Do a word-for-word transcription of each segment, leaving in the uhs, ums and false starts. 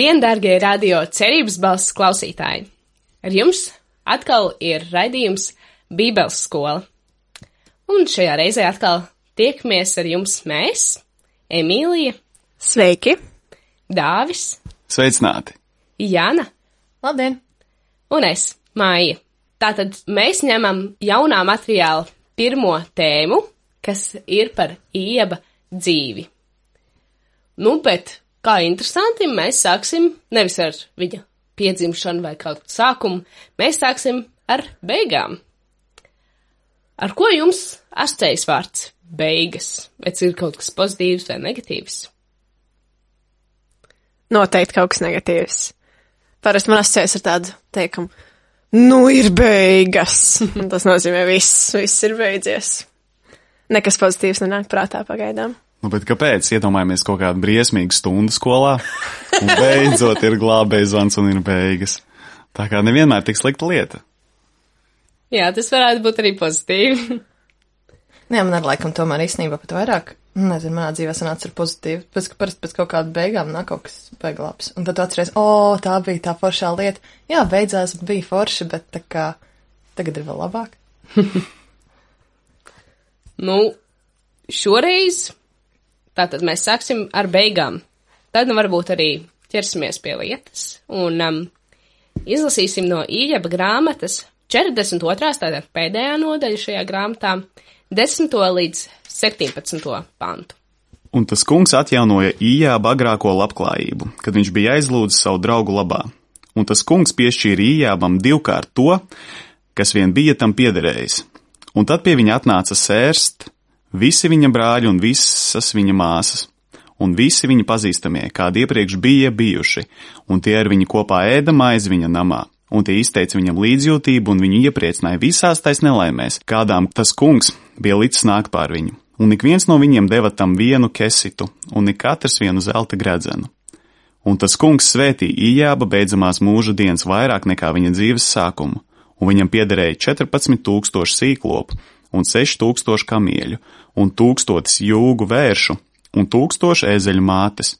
Labdien, dārgie radio cerības balss klausītāji! Ar jums atkal ir raidījums Bībeles skola. Un šajā reizē atkal tiekamies ar jums mēs, Emīlija. Sveiki! Dāvis. Sveicināti! Jana. Labdien! Un es, Māja. Tātad mēs ņemam jaunā materiāla pirmo tēmu, kas ir par Ieba dzīvi. Nu, bet kā interesanti, mēs sāksim nevis ar viņa piedzimšanu vai kaut kādu sākumu, mēs sāksim ar beigām. Ar ko jums asociējas vārds beigas? Vai ir kaut kas pozitīvs vai negatīvs? Noteikti kaut kas negatīvs. Parasti man asociējas ar tādu teikumu, nu ir beigas. Un tas nozīmē viss, viss ir beidzies. Nekas pozitīvs nenāk prātā pagaidām. Nu, bet kāpēc? Iedomājamies kaut kādu briesmīgu stundu skolā, un beidzot ir glābējs zvans un ir beigas. Tā kā nevienmēr tik slikta lieta. Jā, tas varētu būt arī pozitīvi. Jā, man ar laikam tomēr īstenībā pat vairāk, nezinu, manā dzīvē sanāca ar pozitīvu, pēc, ka parasti pēc kaut kāda beigām nāk kaut kas beiglāps. Un tad tu atceries, o, tā bija tā foršā lieta. Jā, beidzās bija forši, bet tā kā tagad ir vēl labāk. Nu, šoreiz tātad mēs sāksim ar beigām. Tad nu varbūt arī ķersimies pie lietas un um, izlasīsim no Ieba grāmatas četrdesmit otrā tātad pēdējā nodaļa šajā grāmatā, desmito līdz septiņpadsmito pantu. Un tas kungs atjaunoja Ijāba agrāko labklājību, kad viņš bija aizlūdzis savu draugu labā. Un tas kungs piešķīra Ijābam divkārt to, kas vien bija tam piederējis. Un tad pie viņa atnāca sērst visi viņa brāļi un visas viņa māsas, un visi viņa pazīstamie, kādi iepriekš bija bijuši, un tie ar viņu kopā ēda maizi viņa namā, un tie izteica viņam līdzjūtību un viņu iepriecināja visās tais nelaimēs, kādām tas kungs bija licis nākt pār viņu. Un ik viens no viņiem deva tam vienu kesitu, un ik katrs vienu zelta gredzenu. Un tas kungs svētīja Ijāba beidzamās mūža dienas vairāk nekā viņa dzīves sākumu, un viņam piederēja četrpadsmit tūkstoši sīklopu, un seši tūkstoši kamieļu, un tūkstotis jūgu vēršu, un tūkstoši ēzeļu mātes.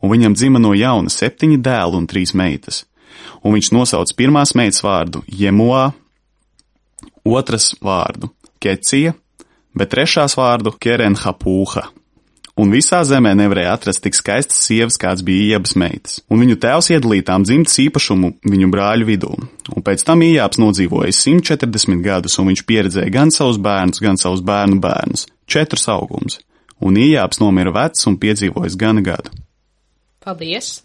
Un viņam dzima no jauna septiņi dēli un trīs meitas. Un viņš nosauc pirmās meitas vārdu Jemuā, otras vārdu Kecija, bet trešās vārdu Kerenhapūha. Un visā zemē nevarēja atrast tik skaistas sievas, kāds bija Iebas meitas. Un viņu tēvs iedalīja tām dzimtas īpašumu viņu brāļu vidū. Un pēc tam Ijābs nodzīvoja simt četrdesmit gadus, un viņš pieredzēja gan savus bērnus, gan savus bērnu bērnus. Četrus augums. Un Ijābs nomira vecs un piedzīvojis gana gadu. Paldies!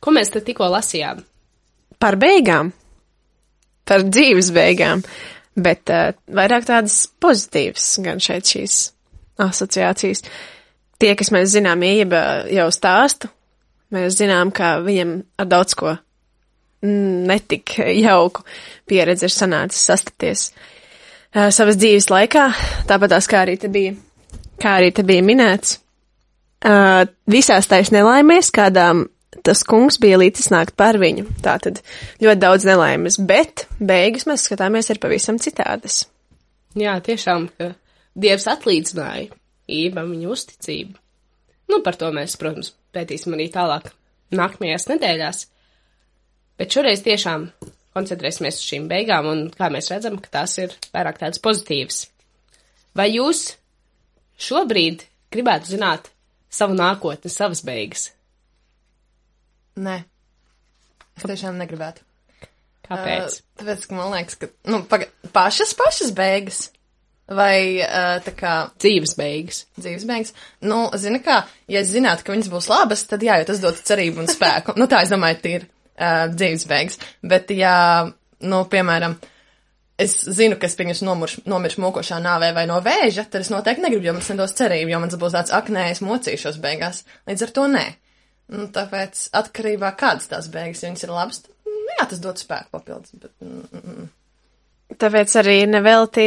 Ko mēs tad tikko lasījām? Par beigām. Par dzīves beigām. Bet uh, vairāk tādas pozitīvas gan šeit šīs asociācijas. Tie, kas mēs zinām, Ieba jau stāstu, mēs zinām, ka viņam ar daudz ko netik jauku pieredzi ir sanācis sastapties uh, savas dzīves laikā, tāpatās kā arī te bija, kā arī te bija minēts. Uh, visās tais nelaimēs, kādām tas kungs bija līdzis nākt par viņu. Tātad ļoti daudz nelaimes, bet beigas mēs skatāmies ir pavisam citādas. Jā, tiešām, ka Dievs atlīdzināja Iebam viņa uzticību. Nu, par to mēs, protams, pētīsim arī tālāk nākamajās nedēļās. Bet šoreiz tiešām koncentrēsimies uz šīm beigām, un kā mēs redzam, ka tās ir vairāk tādas pozitīvas. Vai jūs šobrīd gribētu zināt savu nākotni, savas beigas? Nē. Es tiešām negribētu. Kāpēc? Uh, tāpēc, ka man liekas, ka, nu, paga, pašas, pašas beigas. Vai uh, tā kā dzīves beigas. Dzīves beigas. Nu, zini kā, ja es zinātu, ka viņas būs labas, tad jā, jo tas dod cerību un spēku. Nu, tā es domāju, tie ir uh, dzīves beigas. Bet, ja, nu, piemēram, es zinu, ka es pieņemšu nomiršu, nomiršu mokošā nāvē vai no vēža, tad es noteikti negribu, jo man nedos cerību, jo man būs tāds, ak, nē, es mocīšos beigās. Līdz ar to nē. Nu, tāpēc atkarībā kādas tās beigas, ja viņas ir labas, tad, jā, tas dod spēku papildus. Bet, mm, mm. Tāpēc arī neveltī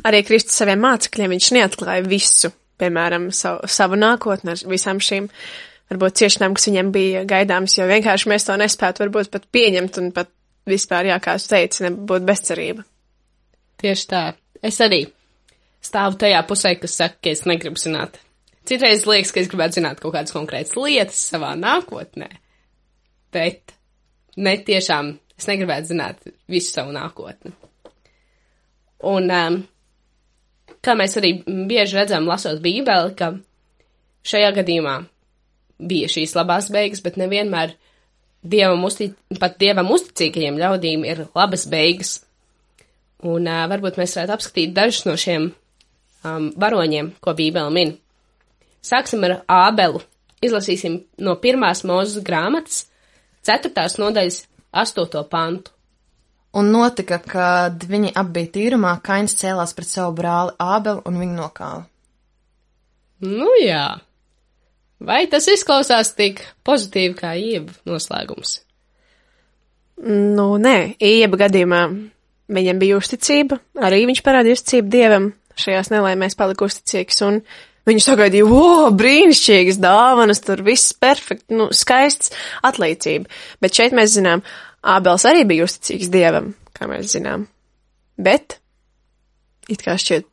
arī Kristus saviem mācekļiem, viņš neatklāja visu, piemēram, savu, savu nākotni ar visām šīm, varbūt ciešanām, kas viņam bija gaidāmas, jo vienkārši mēs to nespētu varbūt pat pieņemt un pat vispār, jā, kā es teicu, nebūtu bezcerība. Tieši tā. Es arī stāvu tajā pusē, kas saka, ka es negribu zināt. Citreiz liekas, ka es gribētu zināt kaut kādas konkrētas lietas savā nākotnē. bet ne tiešām es negribētu zināt visu savu nākotni. Un, um, kā mēs arī bieži redzam, lasot Bībeli, ka šajā gadījumā bija šīs labās beigas, bet nevienmēr dievam uztic, pat dievam uzticīgajiem ļaudīm ir labas beigas. Un uh, varbūt mēs varētu apskatīt dažus no šiem um, varoņiem, ko Bībele min. Sāksim ar Ābelu. Izlasīsim no pirmās Mūzes grāmatas, ceturtās nodaļas, astoto pantu. Un notika, kad viņi abi bija tīrumā, Kains cēlās pret savu brāli Ābelu un viņu nokāva. Nu jā. Vai tas izklausās tik pozitīvi kā Ieba noslēgums? Nu, nē, Ieba gadījumā viņam bija uzticība, arī viņš parādīja uzticību dievam, šajās nelaimēs palika uzticīgs, un viņš sagaidīja, o, brīnišķīgas dāvanas, tur viss perfekti, nu, skaists, atlīdzība. Bet šeit mēs zinām, Ābels arī bija uzticīgs dievam, kā mēs zinām. Bet, it kā šķiet,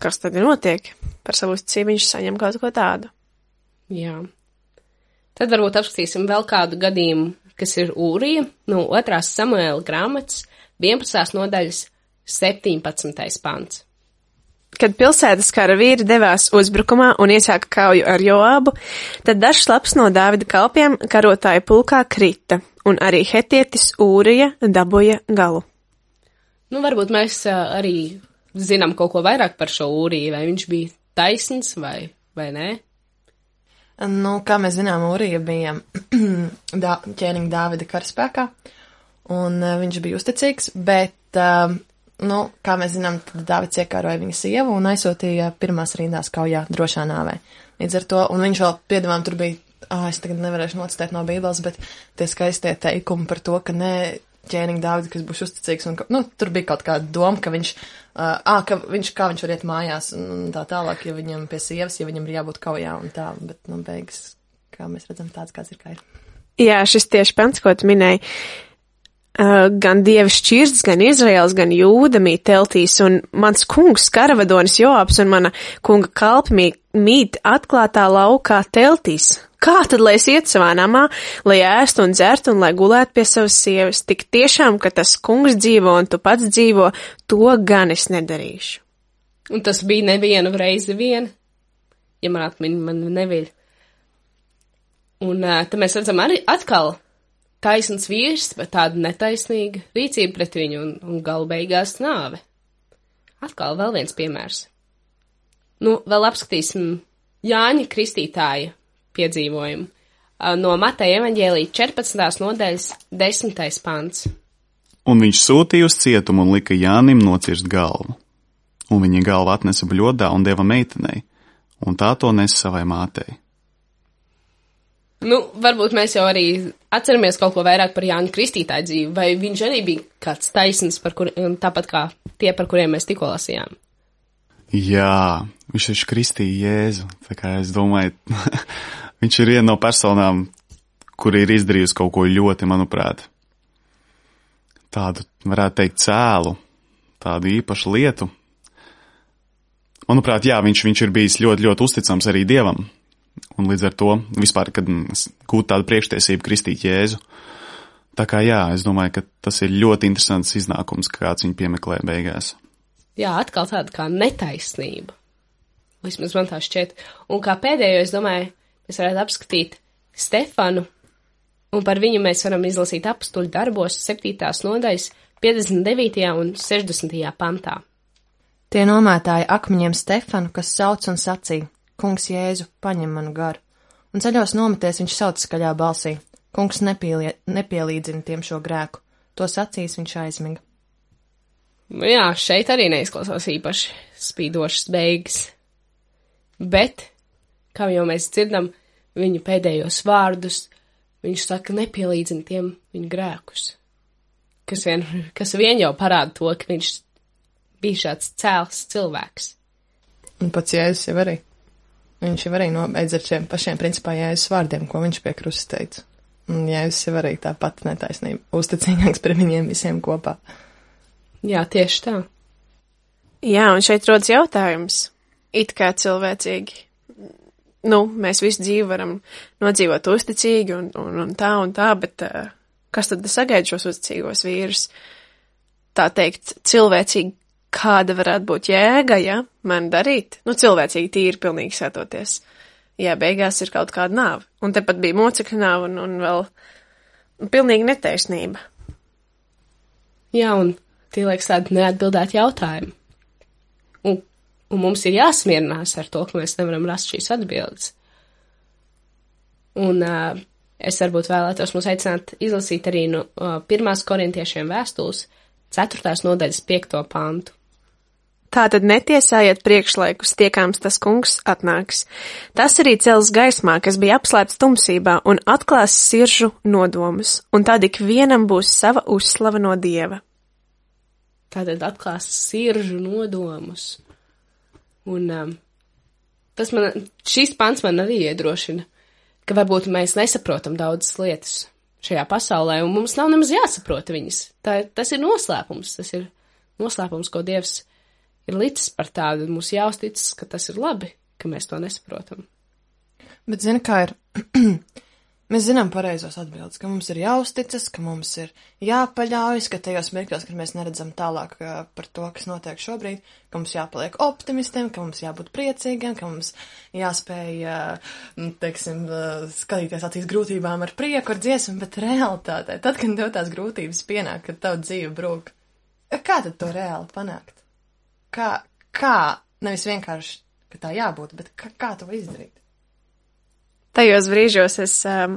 kas tad notiek? Par savu uzticību viņš saņem kaut ko tādu. Jā. Tad varbūt apskatīsim vēl kādu gadījumu, kas ir Ūrija, no otrās Samuēla grāmatas, vienpadsmitās nodaļas, septiņpadsmitais pants. Kad pilsētas kara vīri devās uzbrukumā un iesāka kauju ar Joābu, tad dažs labs no Dāvida kalpiem karotāju pulkā krita, un arī hetietis Ūrija dabūja galu. Nu, varbūt mēs uh, arī zinām kaut ko vairāk par šo Ūriju, vai viņš bija taisns vai, vai nē? Nu, kā mēs zinām, Ūrija bija dā, ķēniņa Dāvida karaspēkā, un uh, viņš bija uzticīgs, bet... Uh, Nu, kā mēs zinām, tad Dāvids iekāroja viņa sievu un aizsūtīja pirmās rindās kaujā drošā nāvē. Līdz ar to, un viņš vēl piedāvām tur bija, ā, es tagad nevarēšu nocitēt no Bībeles, bet tie skaistie teikumi par to, ka ne ķēniņa Dāvida, kas būs uzticīgs, un, ka, nu, tur bija kaut kāda doma, ka viņš, ā, ka viņš, kā viņš var iet mājās un tā tālāk, ja viņam pie sievas, ja viņam ir jābūt kaujā un tā, bet, nu, beigas, kā mēs redzam, tāds kāds ir kā ir. Jā, šis tieši pants, ko tu minēji. Uh, gan Dieva šķirsts, gan Izraels, gan Jūda mīt teltīs, un mans kungs, karavadonis Joabs un mana kunga kalpi mīt, mīt atklātā laukā teltīs. Kā tad, lai es iet savā namā, lai ēstu un dzertu un lai gulētu pie savas sievas? Tik tiešām, ka tas kungs dzīvo un tu pats dzīvo, to gan es nedarīšu. Un tas bija nevienu reizi vien, ja man atmiņa man neviļ. Un uh, te mēs redzam arī atkal taisns vīrs, bet tāda netaisnīga rīcība pret viņu un, un galu beigās nāve. Atkal vēl viens piemērs. Nu, vēl apskatīsim Jāņa Kristītāja piedzīvojumu. No Mateja evaņģēlija četrpadsmitās nodaļas desmitais pants. Un viņš sūtīja uz cietumu un lika Jānim nocirst galvu. Un viņa galva atnesa bļodā un deva meitenei, un tā to nesa savai mātei. Nu, varbūt mēs jau arī atceramies kaut ko vairāk par Jāņa Kristītāja dzīvi, vai viņš arī bija kāds taisns, par kur, tāpat kā tie, par kuriem mēs tikko lasījām? Jā, viņš taču kristīja Jēzu, tā kā es domāju, viņš ir viena no personām, kuri ir izdarījusi kaut ko ļoti, manuprāt, tādu, varētu teikt, cēlu, tādu īpašu lietu. Manuprāt, jā, viņš, viņš ir bijis ļoti, ļoti uzticams arī Dievam. Un līdz ar to vispār, kad gūt tādu priekštiesību kristīt Jēzu. Tā kā jā, es domāju, ka tas ir ļoti interesants iznākums, kāds viņu piemeklē beigās. Jā, atkal tāda kā netaisnība. Vismaz man tā šķiet. Un kā pēdējo, es domāju, mēs varētu apskatīt Stefanu, un par viņu mēs varam izlasīt apustuļu darbos septītās nodaļas piecdesmit devītajā un sešdesmitajā pantā. Tie nomētāja akmeņiem Stefanu, kas sauc un sacīja: Kungs Jēzu, paņem manu garu. Un ceļos nometies viņš sauc skaļā balsī: Kungs nepielie, nepielīdzina tiem šo grēku. To sacīs viņš aizmiga. Nu jā, šeit arī neizklausās īpaši spīdošas beigas. Bet, kā jau mēs dzirdam, viņu pēdējos vārdus, viņš saka, nepielīdzina tiem viņu grēkus. Kas vien, kas vien jau parāda to, ka viņš bija šāds cēls cilvēks. Un pats Jēzus jau arī. Viņš jau arī nobeidz ar šiem pašiem principā Jēzus vārdiem, ko viņš pie krusta teica. Un Jēzus jau arī tā pati netaisnība, uzticīgāks par viņiem visiem kopā. Jā, tieši tā. Jā, un šeit rodas jautājums, it kā cilvēcīgi. nu, mēs visu dzīvi varam nodzīvot uzticīgi un, un, un tā un tā, bet uh, kas tad sagaida šos uzticīgos vīrus? Tā teikt, cilvēcīgi, kāda varētu būt jēga, ja man darīt? Nu, cilvēcīgi tīri pilnīgi sētoties. Jā, beigās ir kaut kāda nāve. Un tepat bija mocekļa nāve un, un vēl pilnīgi netaisnība. Jā, un tie liekas tādi neatbildēti jautājumi. Un, un mums ir jāsmierinās ar to, ka mēs nevaram rast šīs atbildes. Un uh, es varbūt vēlētos mums aicināt izlasīt arī no uh, pirmās korintiešiem vēstules ceturtās nodaļas piekto pantu. Tātad netiesājiet priekšlaikus, tiekāms tas kungs atnāks. Tas arī cels gaismā, kas bija apslēpts tumsībā, un atklās siržu nodomus, un tad ik vienam būs sava uzslava no Dieva. Tātad atklās siržu nodomus. Un um, tas man, šīs pants man arī iedrošina, ka varbūt mēs nesaprotam daudzas lietas šajā pasaulē, un mums nav nemaz jāsaprota viņas. Tā, tas ir noslēpums, tas ir noslēpums, ko Dievs ir licis par tādu, mums jāuzticas, ka tas ir labi, ka mēs to nesaprotam. Bet zini, kā ir, mēs zinām pareizos atbildes, ka mums ir jāuzticas, ka mums ir jāpaļaujas, ka tajos mirkļos, kad mēs neredzam tālāk uh, par to, kas notiek šobrīd, ka mums jāpaliek optimistiem, ka mums jābūt priecīgiem, ka mums jāspēj, uh, teiksim, uh, skatīties acīs grūtībām ar prieku, ar dziesmu, bet realitātē, tad, kad tev tās grūtības pienāk, kad tavu dzīve brūk, kā tad to reāli panākt? Kā, kā, nevis vienkārši, ka tā jābūt, bet kā, kā to izdarīt? Tajos brīžos es um,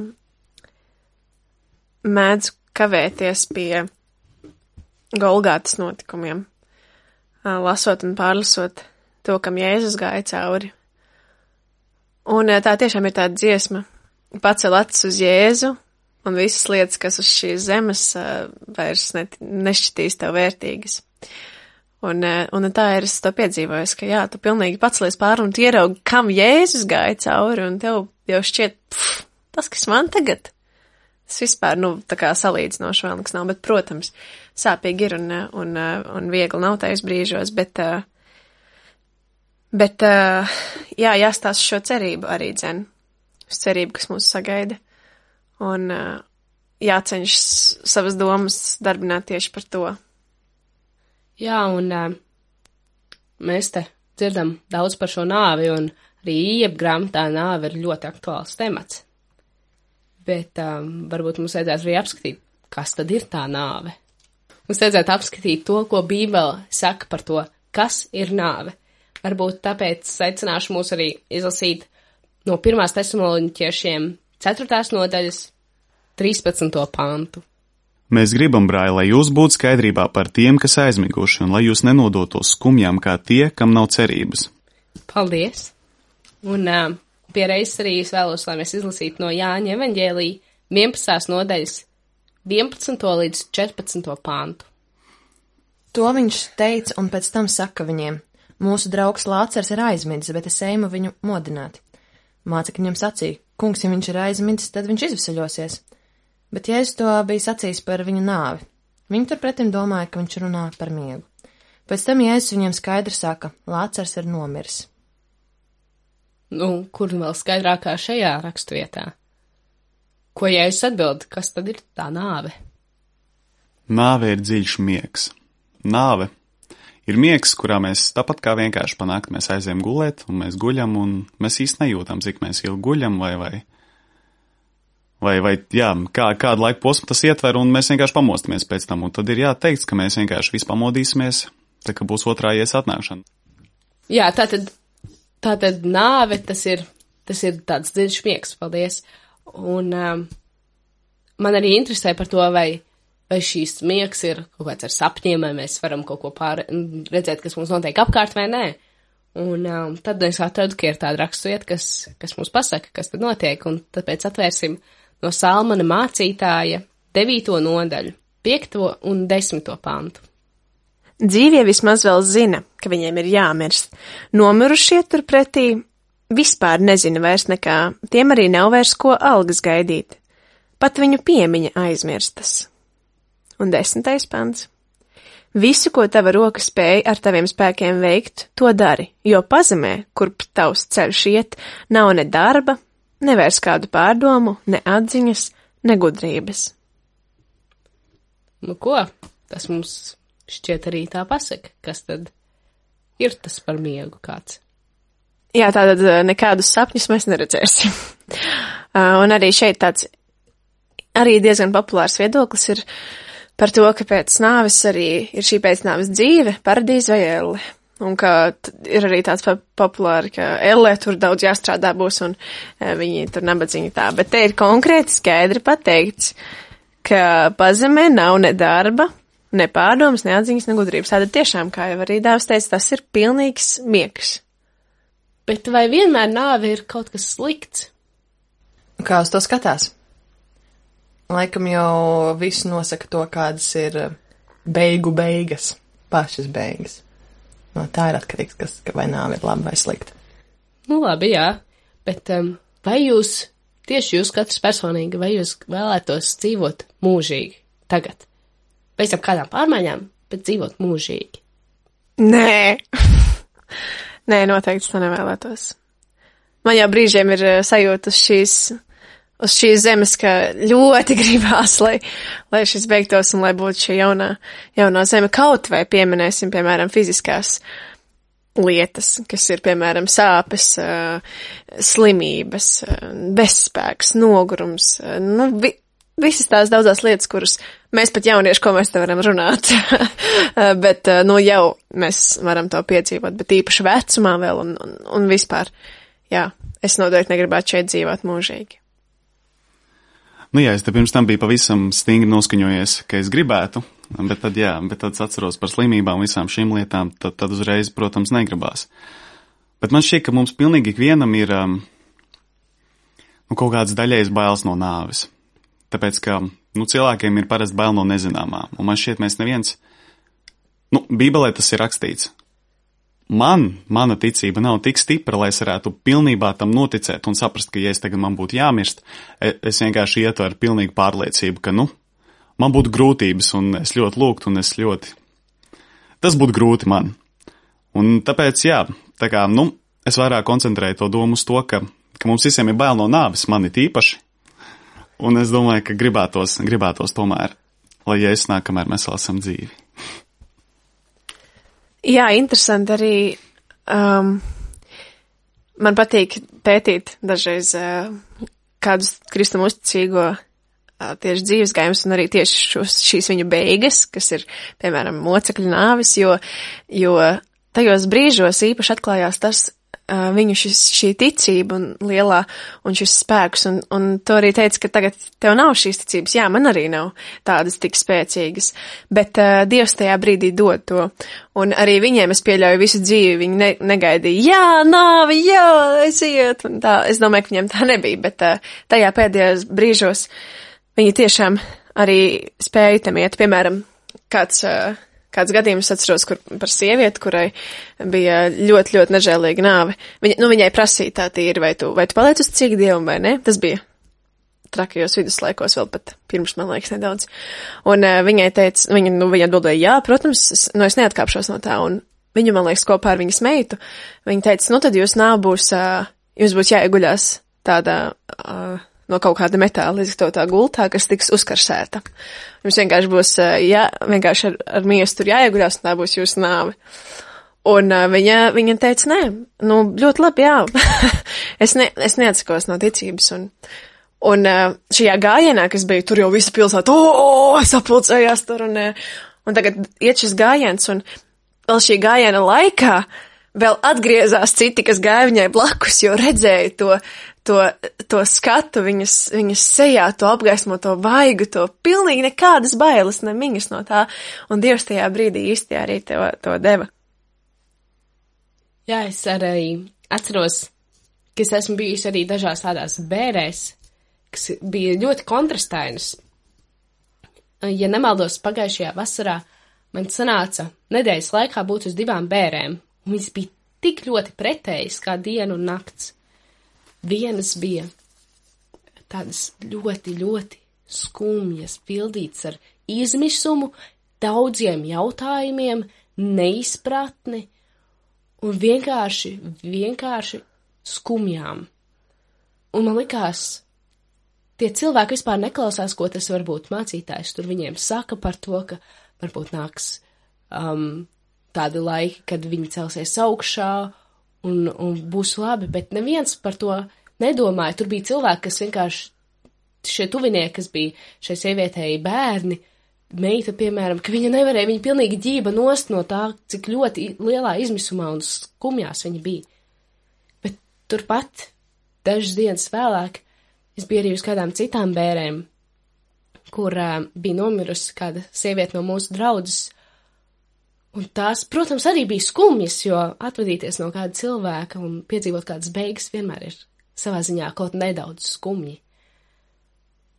mēdzu kavēties pie Golgātas notikumiem, uh, lasot un pārlasot to, kam Jēzus gāja cauri. Un uh, tā tiešām ir tāda dziesma, pacel acis uz Jēzu, un visas lietas, kas uz šīs zemes uh, vairs net, nešķitīs tev vērtīgas. Un, un tā ir, es to piedzīvoju, ka jā, tu pilnīgi pacelies pāri un tu ieraugi, kam Jēzus gāja cauri, un tev jau šķiet, pff, tas, kas man tagad, tas vispār, nu, tā kā salīdzinoši vēl nekas nav, bet, protams, sāpīgi ir un, un, un viegli nav tajos brīžos, bet, bet, jā, jāstāsta šo cerību arī dzen, uz cerību, kas mūs sagaida, un jāceņšas savas domas darbināt tieši par to. Jā, un uh, mēs te dzirdam daudz par šo nāvi, un arī Ijeba grāmatā nāve ir ļoti aktuāls temats. Bet um, varbūt mums vajadzētu arī apskatīt, kas tad ir tā nāve. Mums vajadzētu apskatīt to, ko Bībele saka par to, kas ir nāve. Varbūt tāpēc aicināšu mūs arī izlasīt no pirmās Tesaloniķiešiem ceturtās nodaļas trīspadsmito pantu. Mēs gribam, brāļi, lai jūs būtu skaidrībā par tiem, kas aizmiguši, un lai jūs nenodotos skumjām kā tie, kam nav cerības. Paldies! Un uh, pie reizes arī es vēlos, lai mēs izlasītu no Jāņa evaņģēlija vienpadsmitās nodaļas vienpadsmito līdz četrpadsmito pantu. To viņš teica un pēc tam saka viņiem: mūsu draugs Lācars ir aizmidzis, bet es ejmu viņu modināt. Mācekļi viņam sacīja: kungs, ja viņš ir aizmidzis, tad viņš izvesaļosies. Bet Jēzus to bija sacījis par viņu nāvi. Viņi turpretim domāja, ka viņš runā par miegu. Pēc tam Jēzus viņiem skaidri saka: Lācars ir nomiris. Nu, kur vēl skaidrākā šajā rakstvietā? Ko Jēzus atbild, kas tad ir tā nāve? Nāve ir dziļš miegs. Nāve ir miegs, kurā mēs tāpat kā vienkārši panākt, mēs aizējam gulēt, un mēs guļam, un mēs īsti nejūtam, cik mēs ilgi guļam, vai, vai, vai, vai jā, kā, kādu laiku posmu tas ietver, un mēs vienkārši pamostamies pēc tam, un tad ir jāteikt, ka mēs vienkārši visu pamodīsimies, tā ka būs otrā ies atnākšana. Jā, tātad, tātad nāve, tas ir, tas ir tāds dziļš miegs, paldies, un um, man arī interesē par to, vai vai šīs miegs ir kaut kāds ar sapņiem, vai mēs varam kaut ko pār, redzēt, kas mums notiek apkārt vai nē. Un um, tad es atradu, ka ir tāda raksturvieta, kas, kas mums pasaka, kas tad notiek, un tāpēc atvērsim no Salmana mācītāja devīto nodaļu, piekto un desmito pantu. Dzīvie vismaz vēl zina, ka viņiem ir jāmirst. Nomirušie turpretī vispār nezina vairs nekā, tiem arī nav vairs ko algas gaidīt. Pat viņu piemiņa aizmirstas. Un desmitais pants. Visu, ko tava roka spēj ar taviem spēkiem veikt, to dari, jo pazemē, kurp tavs ceļš iet, nav ne darba, ne vairs kādu pārdomu, ne atziņas, ne gudrības. Nu ko, tas mums šķiet arī tā pasaka, kas tad ir tas par miegu kāds. Jā, tātad nekādus sapņus mēs neredzēsim. Un arī šeit tāds arī diezgan populārs viedoklis ir par to, ka pēc nāves arī ir šī pēcnāves dzīve, paradīze vai elle. Un ka ir arī tāds populāri, ka elle tur daudz jāstrādā būs un viņi tur nabadzīgi tā. Bet te ir konkrēti skaidri pateikts, ka pazemē nav ne darba, ne pārdomas, ne atziņas, ne gudrības. Tātad tiešām, kā jau arī Dāvs teica, tas ir pilnīgs miegs. Bet vai vienmēr nāve ir kaut kas slikts? Kā uz to skatās? Laikam jau visu nosaka to, kādas ir beigu beigas, pašas beigas. No tā ir atkarīgs, kas, vai nāve ir laba vai slikta. Nu labi, jā, bet um, vai jūs, tieši jūs katrs personīgi, vai jūs vēlētos dzīvot mūžīgi tagad? Pēc tam kādām pārmaiņām, bet dzīvot mūžīgi? Nē. Nē, noteikti to nevēlētos. Man jau brīžiem ir sajūta uz šīs, uz šīs zemes, ka ļoti gribās, lai, lai šis beigtos un lai būtu šī jaunā, jaunā zeme. Kaut vai pieminēsim, piemēram, fiziskās lietas, kas ir, piemēram, sāpes, slimības, bezspēks, nogurums, nu, vi, visas tās daudzās lietas, kuras mēs pat jaunieši, ko mēs te varam runāt, bet, nu, jau mēs varam to piedzīvot, bet īpaši vecumā vēl un, un, un vispār, jā, es noteikti negribētu šeit dzīvot mūžīgi. Nu jā, es te pirms tam biju pavisam stingri noskaņojies, ka es gribētu, bet tad jā, bet tad atceros par slimībām visām šīm lietām, tad, tad uzreiz, protams, negribās. Bet man šķiet, ka mums pilnīgi ikvienam ir um, nu, kaut kāds daļējs bailes no nāves. Tāpēc, ka nu, cilvēkiem ir parasti bail no nezināmā, un man šķiet, mēs neviens, nu, Bībelē tas ir rakstīts. Man, mana ticība nav tik stipra, lai es varētu pilnībā tam noticēt un saprast, ka, ja es tagad man būtu jāmirst, es vienkārši ietu ar pilnīgu pārliecību, ka, nu, man būtu grūtības, un es ļoti lūgtu, un es ļoti, tas būtu grūti man. Un tāpēc, jā, tā kā, nu, es vairāk koncentrēju to domu uz to, ka, ka mums visiem ir bail no nāves, man it īpaši, un es domāju, ka gribētos, gribētos tomēr, lai Jēzus nāk, kamēr mēs vēl esam dzīvi. Jā, interesanti arī, um, man patīk pētīt dažreiz uh, kādus kristam uzticīgo uh, tieši dzīves gājumus un arī tieši šos, šīs viņu beigas, kas ir, piemēram, mocekļu nāvis, jo, jo tajos brīžos īpaši atklājās tas, uh, viņu šis, šī ticība un lielā un šis spēks, un, un to arī teica, ka tagad tev nav šīs ticības, jā, man arī nav tādas tik spēcīgas, bet uh, Dievs tajā brīdī dod to, un arī viņiem es pieļauju visu dzīvi, viņi ne, negaidīja, jā, nāvi, jā, aiziet, un tā, es domāju, ka viņiem tā nebija, bet uh, tajā pēdējos brīžos viņi tiešām arī spēja tam iet, piemēram, kāds uh, Kāds gadījums atceros, kur par sievieti, kurai bija ļoti, ļoti nežēlīga nāve. Viņa, nu, viņai prasīja tā tīri, vai tu, vai tu paliec uz cik dievam vai ne? Tas bija trakajos viduslaikos vēl pat pirms, man liekas, nedaudz. Un uh, viņai teica, viņa, nu, viņa atbildēja, jā, protams, es, nu, es neatkāpšos no tā. Un viņu, man liekas, kopā ar viņas meitu, viņa teica, nu, tad jūs nāv būs, uh, jums būs jāieguļās tādā, uh, no kaut kāda metāla izgatavotā gultā, kas tiks uzkarsēta. Jums vienkārši būs, jā, vienkārši ar, ar miesu tur jāieguļās, un tā būs jūsu nāve. Un uh, viņa, viņa teica, nē, nu, ļoti labi, jā. es, ne, es neatsakos no ticības. Un, un uh, šajā gājienā, kas bija, tur jau visa pilsēta, o, sapulcējās tur, un, un tagad iet šis gājiens, un vēl šī gājiena laikā vēl atgriezās citi, kas gāja viņai blakus, jo redzēja to, to, to skatu viņas, viņas sejā, to apgaismo, to vaigu, to pilnīgi nekādas bailes, ne viņas no tā, un Dievs tajā brīdī īsti arī to, to deva. Jā, es arī atceros, ka es esmu bijusi arī dažās tādās bērēs, kas bija ļoti kontrastainas. Ja nemaldos, pagājušajā vasarā man sanāca nedēļas laikā būt uz divām bērēm, un viņas bija tik ļoti pretējas kā diena un nakts. Vienas bija tādas ļoti, ļoti skumjas, pildītas ar izmisumu, daudziem jautājumiem, neizpratni un vienkārši, vienkārši skumjām. Un man likās, tie cilvēki vispār neklausās, ko tas varbūt mācītājs tur viņiem saka par to, ka varbūt nāks um, tādi laiki, kad viņi celsies augšā un, un būs labi, bet neviens par to nedomāja. Tur bija cilvēki, kas vienkārši, šie tuvinieki, kas bija šai sievietei bērni, meita, piemēram, ka viņa nevarēja, viņa pilnīgi ģība nost no tā, cik ļoti lielā izmisumā un skumjās viņa bija. Bet turpat, dažas dienas vēlāk, es biju arī uz kādām citām bērēm, kur uh, bija nomirusi kāda sieviete no mūsu draudzes, un tās, protams, arī bija skumjas, jo atvadīties no kāda cilvēka un piedzīvot kādas beigas vienmēr ir savā ziņā kaut nedaudz skumji.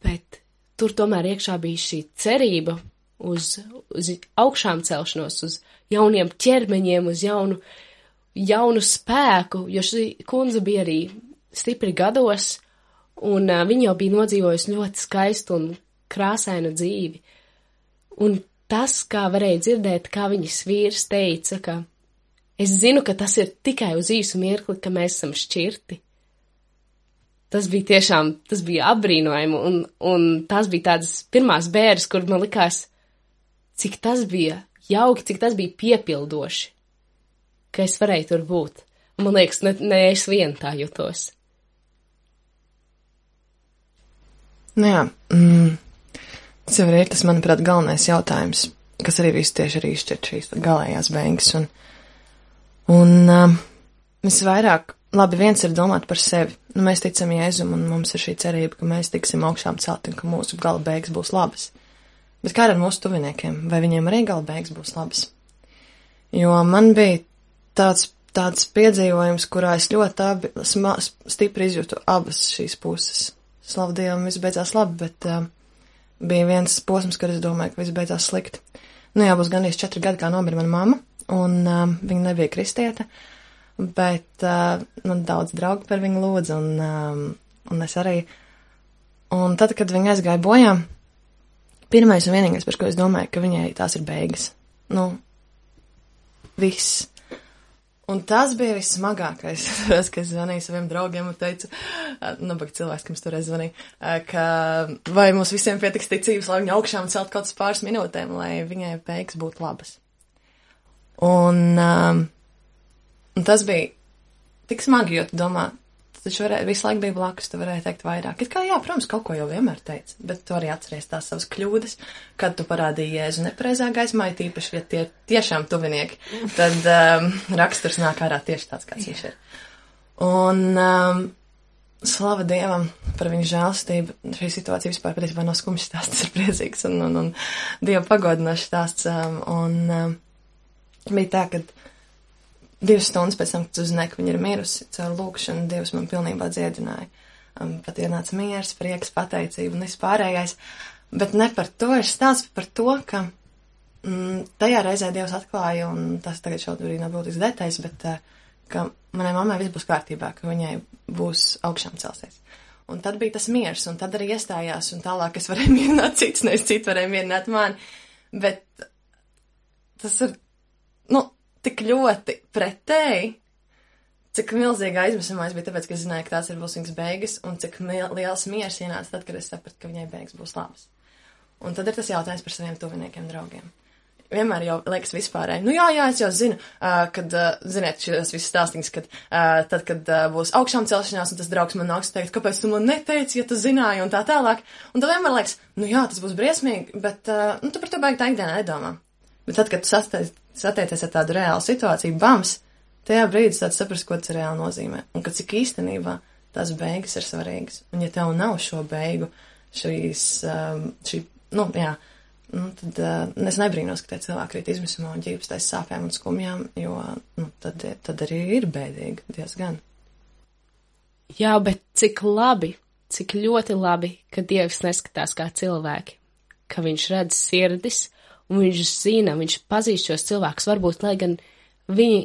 Bet tur tomēr iekšā bija šī cerība uz, uz augšām celšanos, uz jauniem ķermeņiem, uz jaunu, jaunu spēku, jo šī kundze bija arī stipri gados, un uh, viņa jau bija nodzīvojusi ļoti skaistu un krāsainu dzīvi. Un tas, kā varēja dzirdēt, kā viņas vīrs teica, ka es zinu, ka tas ir tikai uz īsu mirkli, ka mēs esam šķirti. Tas bija tiešām, tas bija apbrīnojami, un, un tās bija tādas pirmās bēres, kur man likās, cik tas bija jauki, cik tas bija piepildoši, ka es varēju tur būt. Un man liekas, ne, ne es vien tā jutos. Nu jā, mm, tas jau ir tas, manuprāt, galvenais jautājums, kas arī visu tieši arī izšķirt šīs galējās beigas. Un, un um, visvairāk, labi, viens ir domāt par sevi. Nu, mēs ticam Jēzum, un mums ir šī cerība, ka mēs tiksim augšām celti un ka mūsu gala beigas būs labas. Bet kā ar mūsu tuviniekiem? Vai viņiem arī gala beigas būs labas? Jo man bija tāds, tāds piedzīvojums, kurā es ļoti abi, sma, stipri izjūtu abas šīs puses. Slavu Dievam, viss beidzās labi, bet uh, bija viens posms, kad es domāju, ka viss beidzās slikti. Nu jā, būs gandrīz četri gadi, kā nomira mana mamma, un uh, viņa nebija kristieta. Bet uh, man daudz draugi par viņu lūdza, un, um, un es arī. Un tad, kad viņa aizgāja bojā, pirmais un vienīgais, par ko es domāju, ka viņai tās ir beigas. Nu, viss. Un tas bija vissmagākais, ka es zvanīju saviem draugiem un teicu, nabaga cilvēks, kam es toreiz zvanīju, ka vai mums visiem pietiks ticības, lai viņa augšām celt kaut kāds pāris minūtēm, lai viņai beigas būtu labas. Un... Um, Un tas bija tik smagi, jo tu domā, tu taču varēja, visu laiku bija blakus, tu varēji teikt vairāk. It kā jā, protams, kaut ko jau vienmēr teici, bet tu arī atceries tās savas kļūdas, kad tu parādīji Jēzu nepareizā gaismā, tīpaši, ja tie tiešām tuvinieki, tad um, raksturs nāk ārā tieši tāds, kāds viņš ir. Un um, slava Dievam par viņu žēlstību. Šī situācija vispār patiesībā nav skumjš stāsts, tas ir priecīgs un, un, un Dieva pagodinošs stāsts. Um, un um, bija tā, kad divas stundas pēc tam, kad uzzināju, ka viņa ir mirusi, caur lūkšanu Dievs man pilnībā dziedināja. Um, pat ienāca miers, prieks, pateicība un viss pārējais. Bet ne par to ir stāsts, par to, ka mm, tajā reizē Dievs atklāja, un tas tagad šobrīd nav būtisks detaļas, bet uh, ka manai mammai viss būs kārtībā, ka viņai būs augšām celsies. Un tad bija tas miers, un tad arī iestājās, un tālāk es varēju mierināt cits, nevis cits varēja mierināt mani. Bet tas ir, nu, tik ļoti pretēji, cik milzīga aizmisumā es biju, tāpēc, ka es zināju, ka tās ir būs viņas beigas, un cik liels miers ienāca tad, kad es sapratu, ka viņai beigas būs labas. Un tad ir tas jautājums par saviem tuviniekiem, draugiem. Vienmēr jau liekas vispārēji, nu jā, jā, es jau zinu, uh, kad, uh, ziniet, šīs visas stāstīņas, kad uh, tad, kad uh, būs augšām celšanās, un tas draugs man nāks teikt, kāpēc tu man neteici, ja tu zināji, un tā tālāk. Un tad vienmēr liekas, nu jā, tas būs briesmīgi, bet, uh, nu, tu par to baigi tā ikdienā nedomā. Bet tad, kad tu sasteic, satiecies ar tādu reālu situāciju, bams, tajā brīdī tāds saprast, ko tas reāli nozīmē. Un ka cik īstenībā tās beigas ir svarīgas. Un ja tev nav šo beigu, šīs, um, šī, nu, jā, nu, tad uh, es nebrīnos, ka tie cilvēki rīt izmisumā un ģības tais sāpēm un skumjām, jo, nu, tad, tad arī ir bēdīgi diezgan. Jā, bet cik labi, cik ļoti labi, ka Dievs neskatās kā cilvēki, ka viņš redz sirdis, un viņš zina, viņš pazīst šos cilvēkus, varbūt, lai gan viņi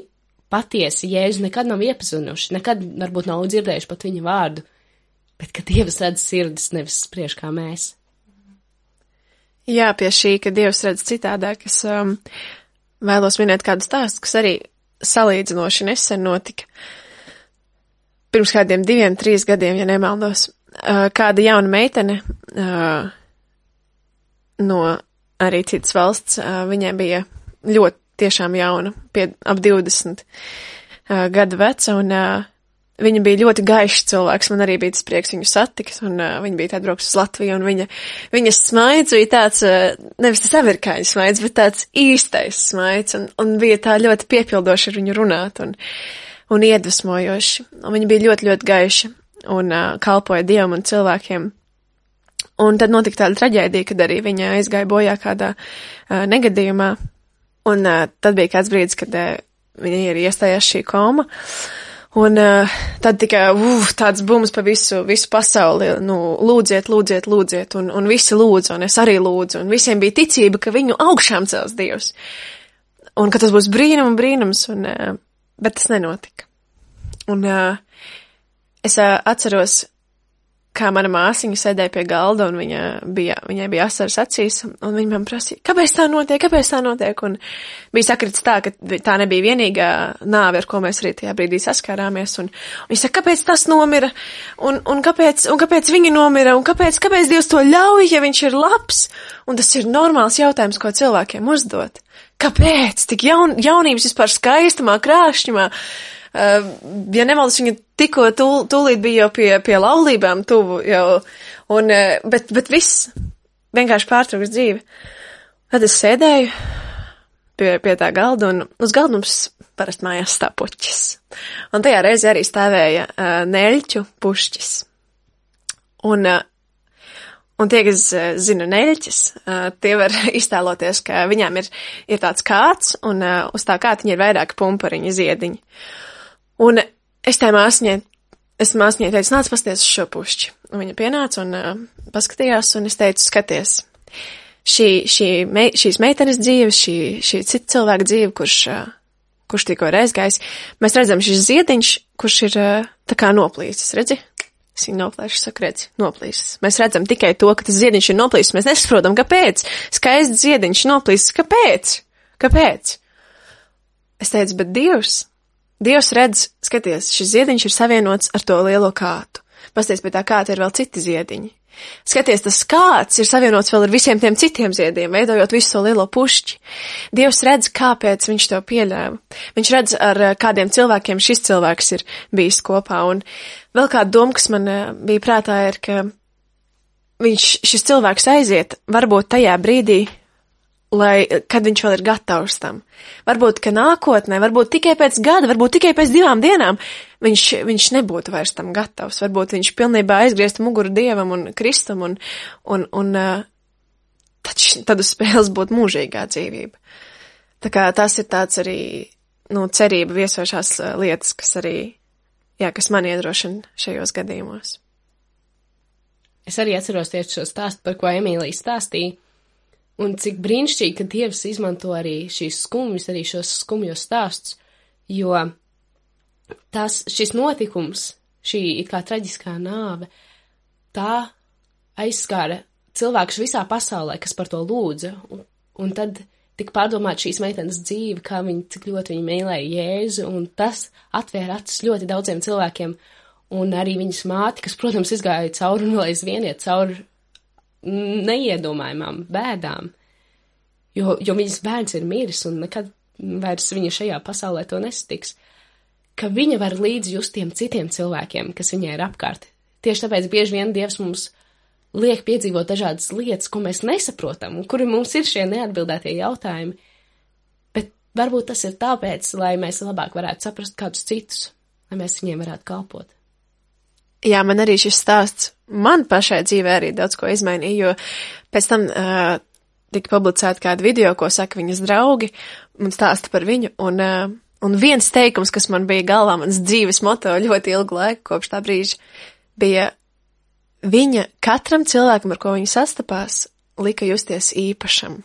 patiesi Jēzu nekad nav iepazinuši, nekad varbūt nav dzirdējuši pat viņa vārdu, bet ka Dievs redz sirdis, nevis spriež kā mēs. Jā, pie šī, ka Dievs redz citādāk, es um, vēlos minēt kādu stāstu, kas arī salīdzinoši nesen notika. Pirms kādiem diviem, trīs gadiem, ja nemaldos, uh, kāda jauna meitene uh, no arī citas valsts, uh, viņai bija ļoti tiešām jauna, pie ap divdesmit uh, gadu veca, un uh, viņa bija ļoti gaišs cilvēks, man arī bija tas prieks viņu satikt, un uh, viņa bija atbrauks uz Latviju, un viņa, viņas smaids bija tāds, uh, nevis tas amerikāņu smaids, bet tāds īstais smaids, un, un bija tā ļoti piepildoši ar viņu runāt, un, un iedvesmojoši, un viņa bija ļoti, ļoti gaiša, un uh, kalpoja Dievam un cilvēkiem. Un tad notika tāda traģēdija, kad arī viņa aizgāja bojā kādā uh, negadījumā, un uh, tad bija kāds brīdis, kad uh, viņa ir iestājās šī koma, un uh, tad tikai uf, tāds bums pa visu, visu pasauli, nu, lūdziet, lūdziet, lūdziet, un, un visi lūdzu, un es arī lūdzu, un visiem bija ticība, ka viņu augšām cels Dievs, un ka tas būs brīnum un brīnums, un, uh, bet tas nenotika. Un uh, es uh, atceros, kā mana māsiņa sēdēja pie galda, un viņa bija, viņai bija asaras acīs, un viņa man prasīja, kāpēc tā notiek, kāpēc tā notiek, un bija sakritis tā, ka tā nebija vienīgā nāve, ar ko mēs arī tajā brīdī saskārāmies, un, un viņa saka, kāpēc tas nomira, un, un, kāpēc, un kāpēc viņa nomira, un kāpēc, kāpēc Dievs to ļauj, ja viņš ir labs, un tas ir normāls jautājums, ko cilvēkiem uzdot. Kāpēc? Tik jaun, jaunības vispār skaistumā, krāšņumā, Uh, ja nemaldos, viņa tikko tūl, tūlīt bija jau pie, pie laulībām tuvu jau, un, uh, bet, bet viss vienkārši pārtrauks dzīvi. Tad es sēdēju pie, pie tā galda, un uz galda mums parasti mājās stāv puķis. Un tajā reizē arī stāvēja uh, neļķu pušķis. Un, uh, un tie, kas uh, zina neļķis, uh, tie var iztēloties, ka viņām ir, ir tāds kāds, un uh, uz tā kātiņa ir vairāki pumpariņi ziediņi. Un es tā māsņai, es māsņai teicu, nāc pasties uz šo pušķi. Un viņa pienāca un uh, paskatījās, un es teicu, skaties, šī, šī mei, šīs meitenes dzīve, šī, šī cita cilvēka dzīve, kurš, uh, kurš tikko ir aizgājis, mēs redzam šis ziediņš, kurš ir uh, tā kā noplīsis, redzi? Es viņu noplēšu, saku, redzi, noplīsis. Mēs redzam tikai to, ka tas ziediņš ir noplīsis, mēs nesaprotam, kāpēc. Skaists ziediņš noplīsis, kāpēc? Kāpēc? Es teicu, bet Dievs, Dievs redz, skaties, šis ziediņš ir savienots ar to lielo kātu. Pasties, pie tā kāta ir vēl citi ziediņi. Skaties, tas kāds ir savienots vēl ar visiem tiem citiem ziediem, veidojot visu to lielo pušķi. Dievs redz, kāpēc viņš to pieļāva. Viņš redz, ar kādiem cilvēkiem šis cilvēks ir bijis kopā. Un vēl kāda doma, kas man bija prātā, ir, ka viņš, šis cilvēks aiziet varbūt tajā brīdī, lai, kad viņš vēl ir gatavs tam. Varbūt, ka nākotnē, varbūt tikai pēc gada, varbūt tikai pēc divām dienām viņš, viņš nebūtu vairs tam gatavs. Varbūt viņš pilnībā aizgrieztu muguru Dievam un Kristum un, un, un tad, tad uz spēles būtu mūžīgā dzīvība. Tā kā tas ir tāds arī, nu, cerība viesošās lietas, kas arī, jā, kas man iedrošina šajos gadījumos. Es arī atceros tieši šo stāstu, par ko Emīlija stāstīja. Un cik brīnišķīgi, ka Dievs izmanto arī šīs skumjas, arī šos skumjos stāstus, jo tas, šis notikums, šī it kā traģiskā nāve, tā aizskāra cilvēkus visā pasaulē, kas par to lūdza, un, un tad tika pārdomāt šīs meitenes dzīve, kā viņi, cik ļoti viņi mīlēja Jēzu, un tas atvēra acis ļoti daudziem cilvēkiem, un arī viņas māti, kas, protams, izgāja cauri un vēl aizvien iet cauri neiedomājumām bēdām, jo, jo viņas bērns ir miris un nekad vairs viņa šajā pasaulē to nesatiks, ka viņa var līdzi just tiem citiem cilvēkiem, kas viņai ir apkārt. Tieši tāpēc bieži vien Dievs mums liek piedzīvot dažādas lietas, ko mēs nesaprotam, un kuri mums ir šie neatbildētie jautājumi, bet varbūt tas ir tāpēc, lai mēs labāk varētu saprast kādus citus, lai mēs viņiem varētu kalpot. Jā, man arī šis stāsts, man pašai dzīvē arī daudz ko izmainīja, jo pēc tam uh, tika publicēta kāda video, ko saka viņas draugi, un stāsta par viņu, un, uh, un viens teikums, kas man bija galvā, mans dzīves moto ļoti ilgu laiku kopš tā brīža, bija viņa katram cilvēkam, ar ko viņa sastapās, lika justies īpašam.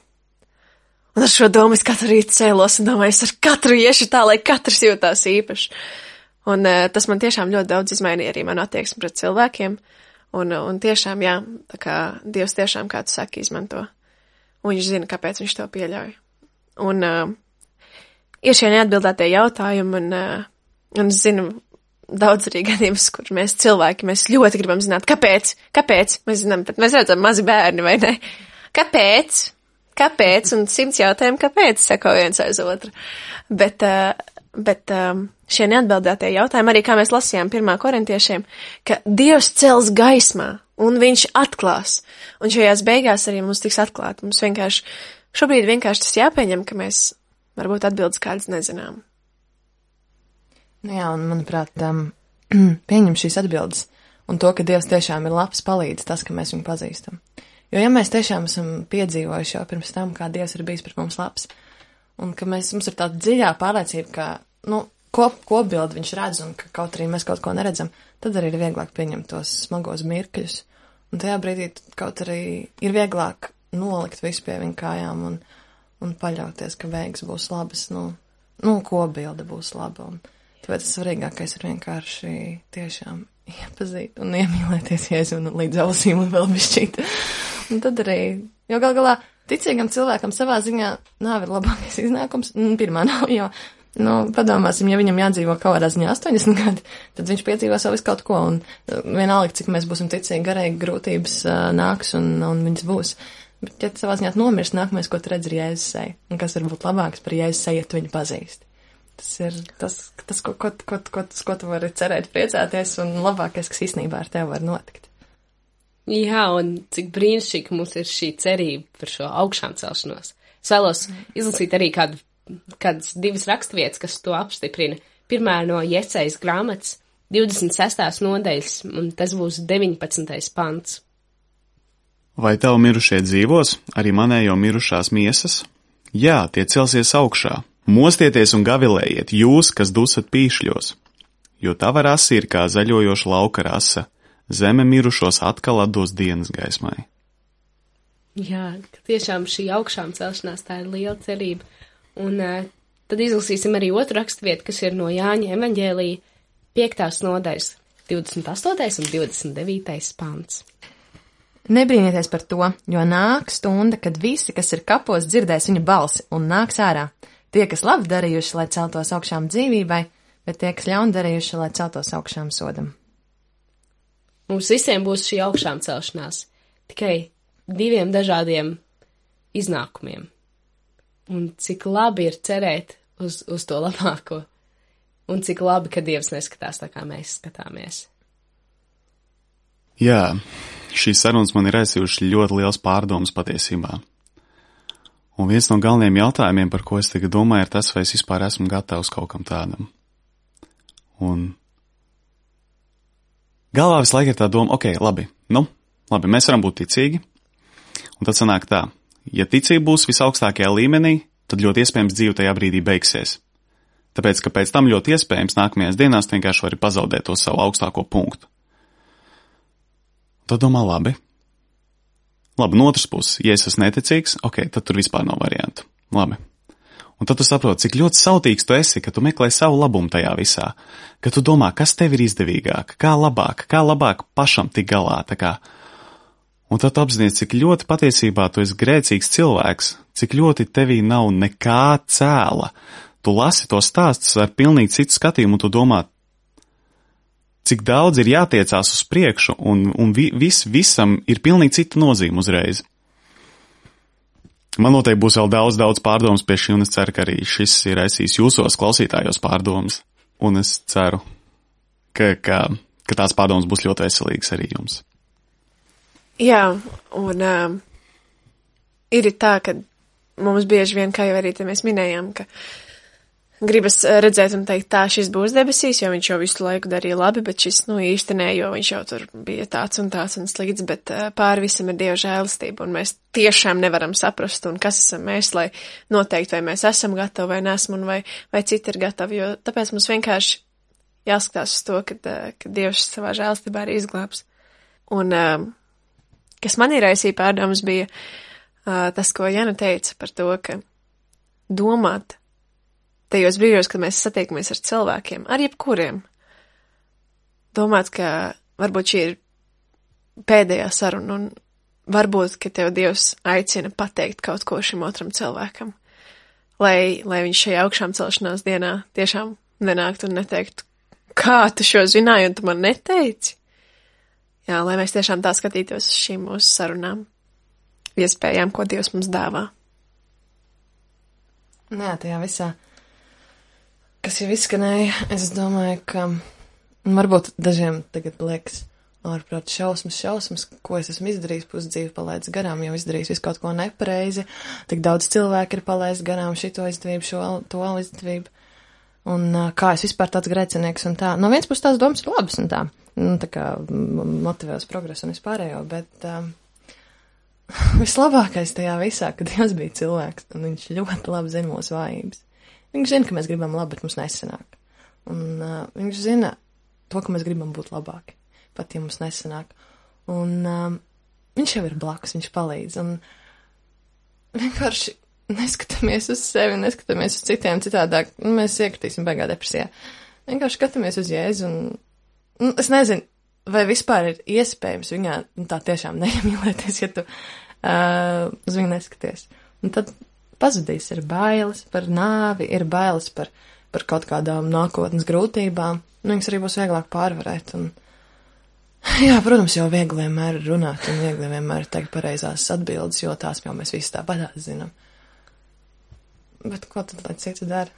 Un ar šo domu es katru rītu cēlos un domāju, es ar katru iešu tā, lai katrs jūtās īpaši. Un uh, tas man tiešām ļoti daudz izmainīja arī manu attieksmi pret cilvēkiem. Un, un tiešām, jā, tā kā Dievs tiešām, kā tu saki, izmanto un viņš zina, kāpēc viņš to pieļauj. Un uh, ir šie neatbildētie jautājumi, un, uh, un es zinu daudz arī gadījumus, kur mēs cilvēki, mēs ļoti gribam zināt, kāpēc, kāpēc, mēs zinām, bet mēs redzam mazi bērni, vai ne? Kāpēc? Kāpēc? Un simts jautājumu, kāpēc, seko viens aiz otru. Bet, uh, bet um, šie neatbildētie jautājumi, arī kā mēs lasījām pirmā korintiešiem, ka Dievs cels gaismā, un viņš atklās. Un šajās beigās arī mums tiks atklāt. Mums vienkārši, šobrīd vienkārši tas jāpieņem, ka mēs varbūt atbildes kādas nezinām. Nu jā, un manuprāt, um, pieņem šīs atbildes. Un to, ka Dievs tiešām ir labs, palīdz tas, ka mēs viņu pazīstam. Jo ja mēs tiešām esam piedzīvojuši jau pirms tam, kā Dievs ir bijis pret mums labs, un ka mēs, mums ir tāda dziļā pārliecība, ka, nu, kop, kopbildi viņš redz, un ka kaut arī mēs kaut ko neredzam, tad arī ir vieglāk pieņemt tos smagos mirkļus. Un tajā brīdī kaut arī ir vieglāk nolikt visu pie viņa kājām un, un paļauties, ka beigas būs labas, nu, nu kopbilde būs laba. Un tāpēc tas svarīgākais ir vienkārši tiešām iepazīt un iemīlēties Jēzu un līdz ausīm un vēl bišķīt. Un tad arī, jo gal galā ticīgam cilvēkam savā ziņā nav ir labākais iznākums, pirmā nav, jo, nu, padomāsim, ja viņam jādzīvo kaut kādā ziņā astoņdesmit gadi, tad viņš piedzīvos vēl visu kaut ko, un vienalga, cik mēs būsim ticīgi, garīgi grūtības uh, nāks un, un viņas būs. Bet, ja savā ziņā nomirst, nākamais, ko tu redz, ir Jēzus seja, un kas var būt labāks par Jēzus seju, ja tu viņu pazīsti. Tas ir tas, tas ko, ko, ko, ko, ko tu vari cerēt, priecāties, un labākais, kas īstenībā ar tevi var notikt. Jā, un cik brīnišķīgi mums ir šī cerība par šo augšām celšanos. Es vēlos izlasīt arī kādu, kādas divas rakstvietas, kas to apstiprina. Pirmā no Jesajas grāmatas, divdesmit sestās nodaļas, un tas būs deviņpadsmitais pants. Vai tavu mirušie dzīvos, arī manējo mirušās miesas? Jā, tie celsies augšā. Mostieties un gavilējiet, jūs, kas dusat pīšļos, jo tava rasa ir kā zaļojoša lauka rasa. Zeme mirušos atkal atdos dienas gaismai. Jā, tiešām šī augšām celšanās tā ir liela cerība. Un uh, tad izlasīsim arī otru rakstvietu, kas ir no Jāņa evaņģēlija piektās nodaļas, divdesmit astotais un divdesmit devītais pants. Nebrīnieties par to, jo nāk stunda, kad visi, kas ir kapos, dzirdēs viņa balsi un nāks ārā. Tie, kas labi darījuši, lai celtos augšām dzīvībai, bet tie, kas ļauni darījuši, lai celtos augšām sodam. Mums visiem būs šī augšām celšanās, tikai diviem dažādiem iznākumiem. Un cik labi ir cerēt uz, uz to labāko, un cik labi, ka Dievs neskatās tā, kā mēs skatāmies. Jā, šīs sarunas man ir aizsījuši ļoti liels pārdomas patiesībā. Un viens no galvenajiem jautājumiem, par ko es tagad domāju, ir tas, vai es vispār esmu gatavs kaut kam tādam. Un galvā visu laiku ir tā doma, ok, labi, nu, labi, mēs varam būt ticīgi, un tad sanāk tā, ja ticība būs visaugstākajā līmenī, tad ļoti iespējams dzīve tajā brīdī beigsies. Tāpēc, ka pēc tam ļoti iespējams nākamajās dienās tu vienkārši vari pazaudēt to savu augstāko punktu. Tad domā, labi. Labi, no otras puses, ja es esmu neticīgs, ok, tad tur vispār nav variantu. Labi. Un tad tu saproti, cik ļoti sautīgs tu esi, ka tu meklē savu labumu tajā visā, ka tu domā, kas tev ir izdevīgāk, kā labāk, kā labāk pašam tik galā, tā kā. Un tad tu apzinies, cik ļoti patiesībā tu esi grēcīgs cilvēks, cik ļoti tevī nav nekā cēla. Tu lasi to stāstus ar pilnīgi citu skatījumu, un tu domā, cik daudz ir jātiecās uz priekšu, un, un vi, vis, visam ir pilnīgi cita nozīme uzreiz. Man noteikti būs vēl daudz, daudz pārdomas pie šī, un es ceru, ka arī šis ir aizsīs jūsos klausītājos pārdomas, un es ceru, ka, ka, ka tās pārdomas būs ļoti veselīgas arī jums. Jā, un um, ir tā, ka mums bieži vien, kā jau arī te mēs minējām, ka gribas redzēt un teikt, tā šis būs debesīs, jo viņš jau visu laiku darīja labi, bet šis, nu, īsti nē, jo viņš jau tur bija tāds un tāds un slikts, bet pāri visam ir Dieva žēlastība, un mēs tiešām nevaram saprast, un kas esam mēs, lai noteikt, vai mēs esam gatavi vai nesam, un vai, vai citi ir gatavi, jo tāpēc mums vienkārši jāskatās uz to, ka, ka Dievs savā žēlastībā arī izglābs. Un kas man ir aizsīja pārdomas bija tas, ko Jana teica par to, ka domāt tajos brīžos, kad mēs satiekamies ar cilvēkiem, ar jebkuriem, domāt, ka varbūt šī ir pēdējā saruna, un varbūt, ka tev Dievs aicina pateikt kaut ko šim otram cilvēkam, lai, lai viņš šajā augšām celšanās dienā tiešām nenāktu un neteiktu, kā tu šo zināji un tu man neteici. Jā, lai mēs tiešām tā skatītos uz šīm mūsu sarunām, iespējām, ko Dievs mums dāvā. Jā, tajā visā, kas jau izskanēja, es domāju, ka varbūt dažiem tagad liekas, ārprāt, šausmas, šausmas, ko es esmu izdarījis, pusdzīvi palaidis garām, jau izdarījis visu kaut ko nepareizi, tik daudz cilvēku ir palaidis garām šito izdevību, šo to izdevību, un kā es vispār tāds grēcinieks un tā. No viens puses tās domas ir labas un tā, nu, tā kā motivē uz progresu un vispārējo, bet um, vislabākais tajā visā, kad Dievs bija cilvēks, un viņš ļoti labi zina mūsu vājības. Viņš zina, ka mēs gribam labi, bet mums nesanāk. Un uh, viņš zina to, ka mēs gribam būt labāki, pat ja mums nesanāk. Un um, viņš jau ir blakus, viņš palīdz. Un vienkārši neskatāmies uz sevi, neskatāmies uz citiem citādāk. Nu, mēs iekritīsim beigā depresijā. Vienkārši skatāmies uz Jēzu un, nu, es nezinu, vai vispār ir iespējams viņā nu, tā tiešām neiemīlēties, ja tu uh, uz viņu neskaties. Un tad pazudīs ir bailes par nāvi, ir bailes par, par kaut kādām nākotnes grūtībām. Nu, viņas arī būs vieglāk pārvarēt. Un, jā, protams, jau viegli vienmēr runāt un viegli vienmēr teikt pareizās atbildes, jo tās jau mēs visi tāpatās zinām. Bet ko tad, lai citu dara?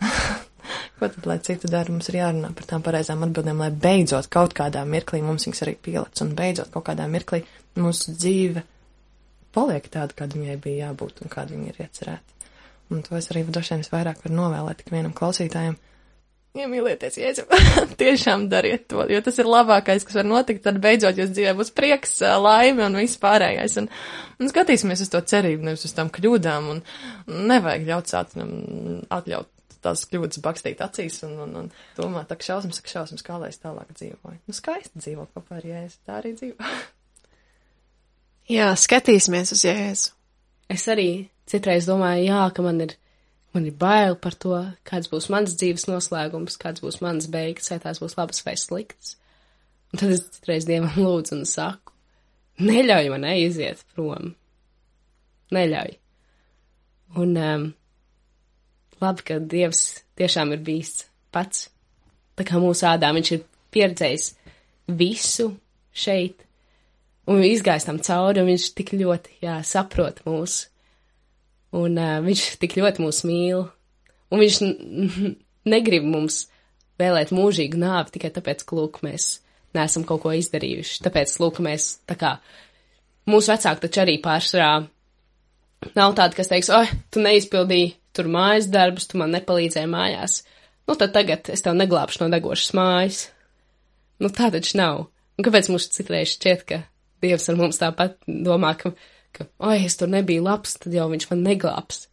Ko tad, lai citu dara? Mums ir jārunā par tām pareizām atbildēm, lai beidzot kaut kādā mirklī mums viņas arī pielec, un beidzot kaut kādā mirklī mūsu dzīve paliek tāda, kāda viņai bija jābūt un kāda viņa ir iecerēta. Un to es arī droši vien vairāk varu novēlēt tik vienam klausītājam. Iemīlieties, Jēzu, tiešām dariet to, jo tas ir labākais, kas var notikt, tad beidzot jūs dzīvē būs prieks, laime un viss pārējais. Un, un skatīsimies uz to cerību, nevis uz tām kļūdām, un nevajag ļaut sācinam atļaut tās kļūdas bakstīt acīs un, un, un domāt, tak šausmas, tak šausmas, kā lai es tālāk dzīvoju. Nu, skaisti dzīvo kopā ar Jēzu, tā arī dzīvo. Jā, skatīsimies uz Jēzu. Es arī citreiz domāju, jā, ka man ir, man ir bail par to, kāds būs mans dzīves noslēgums, kāds būs mans beigas, vai tās būs labas vai sliktas. Un tad es citreiz Dievam lūdzu un saku, neļauj man aiziet prom. Neļauj. Un um, labi, ka Dievs tiešām ir bijis pats. Tā kā mūsu ādā viņš ir pieredzējis visu šeit, un izgājis tam cauri, un viņš tik ļoti, jā, saprot mūs. Un uh, viņš tik ļoti mūs mīl, un viņš n- negrib mums vēlēt mūžīgu nāvi tikai tāpēc, ka, lūk, mēs neesam kaut ko izdarījuši. Tāpēc, lūk, mēs, tā kā, mūsu vecāki taču arī pārsvarā nav tādi, kas teiks, oi, tu neizpildīji tur mājas darbus, tu man nepalīdzēji mājās. Nu, tad tagad es tev neglābšu no degošas mājas. Nu, tā taču nav. Un kāpēc mums citreiz šķiet, ka Dievs ar mums tāpat domā, ka ka, oi, es tur nebiju labs, tad jau viņš man neglābs.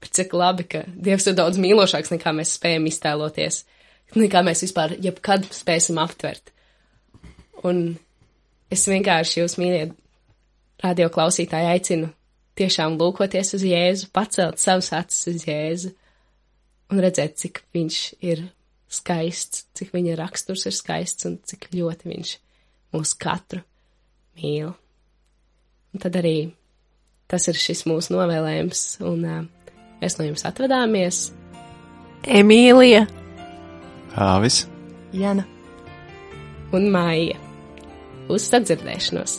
Bet cik labi, ka Dievs ir daudz mīlošāks, nekā mēs spējam iztēloties, nekā mēs vispār jebkad spēsim aptvert. Un es vienkārši jūs, mīļie radio klausītāji, aicinu tiešām lūkoties uz Jēzu, pacelt savus acis uz Jēzu un redzēt, cik viņš ir skaists, cik viņa raksturs ir skaists un cik ļoti viņš mūs katru mīl. Un tad arī tas ir šis mūsu novēlējums, un uh, mēs no jums atvadāmies. Emīlija, Āvis, Jana Un Maija. Uz sadzirdēšanos!